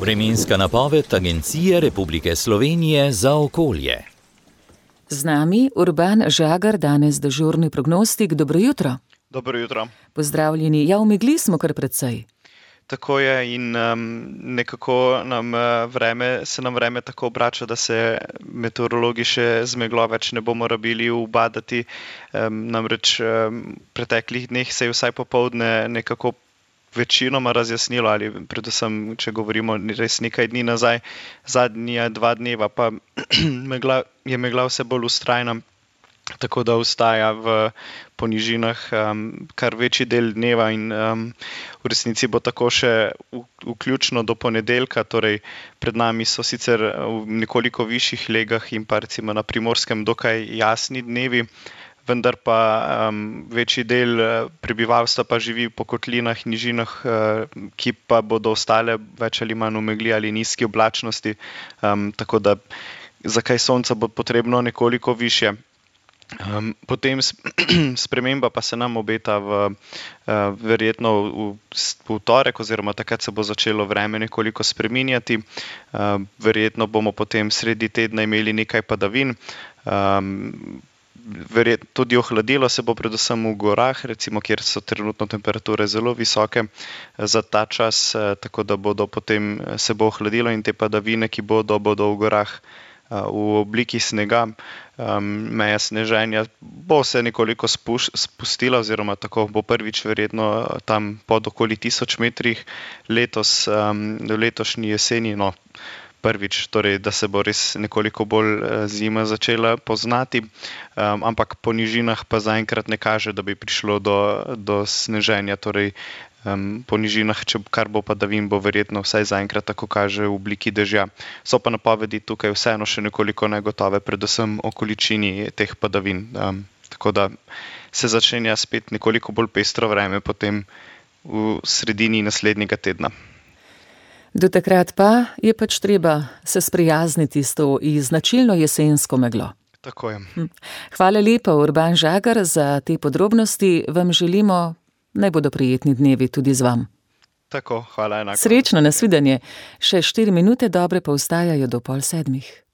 Vremenska napoved Agencije Republike Slovenije za okolje. Z nami Urban Žagar, danes dežurni prognostik. Dobro jutro. Dobro jutro. Pozdravljeni. Ja, v megli smo kar precej. Tako je in nekako se nam vreme tako obrača, da se meteorologi še z meglo več ne bomo rabili ubadati. Namreč v preteklih dneh se je vsaj popoldne nekako večinoma razjasnilo, ali predvsem, če govorimo res nekaj dni nazaj, zadnja 2 dneva, pa je megla vse bolj vztrajna, tako da ostaja v ponižinah kar večji del dneva in v resnici bo tako še vključno do ponedeljka, torej pred nami so sicer v nekoliko višjih legah in pa recimo na Primorskem dokaj jasni dnevi, vendar pa večji del prebivalstva pa živi po kotlinah, nižinah, ki pa bodo ostale več ali manj v megli ali nizki oblačnosti, tako da za kaj sonca bo potrebno nekoliko višje. Potem sprememba pa se nam obeta verjetno v torek, oziroma takrat se bo začelo vreme nekoliko spreminjati. Verjetno bomo potem sredi tedna imeli nekaj padavin. Tudi ohladilo se bo predvsem v gorah, recimo, kjer so trenutno temperature zelo visoke za ta čas, tako da se bo ohladilo in te padavine, ki bodo v gorah v obliki snega, meja sneženja bo se nekoliko spustila, oziroma tako bo prvič verjetno tam pod okoli 1000 metrih letos, v letošnji jeseni, prvič, torej, da se bo res nekoliko bolj zima začela poznati, ampak po nižinah pa zaenkrat ne kaže, da bi prišlo do sneženja, torej po nižinah, kar bo padavin, bo verjetno vsaj zaenkrat tako kaže v obliki dežja. So pa napovedi tukaj vseeno še nekoliko negotove, predvsem o količini teh padavin. Tako da se začenja spet nekoliko bolj pestro vreme potem v sredini naslednjega tedna. Do takrat pa je pač treba se sprijazniti s to značilno jesensko meglo. Tako je. Hvala lepa, Urban Žagar, za te podrobnosti. Vam želimo, naj bodo prijetni dnevi tudi z vam. Tako, hvala enako. Srečno, nasvidenje. Še 4 minute dobre pa ostajajo do 6:30.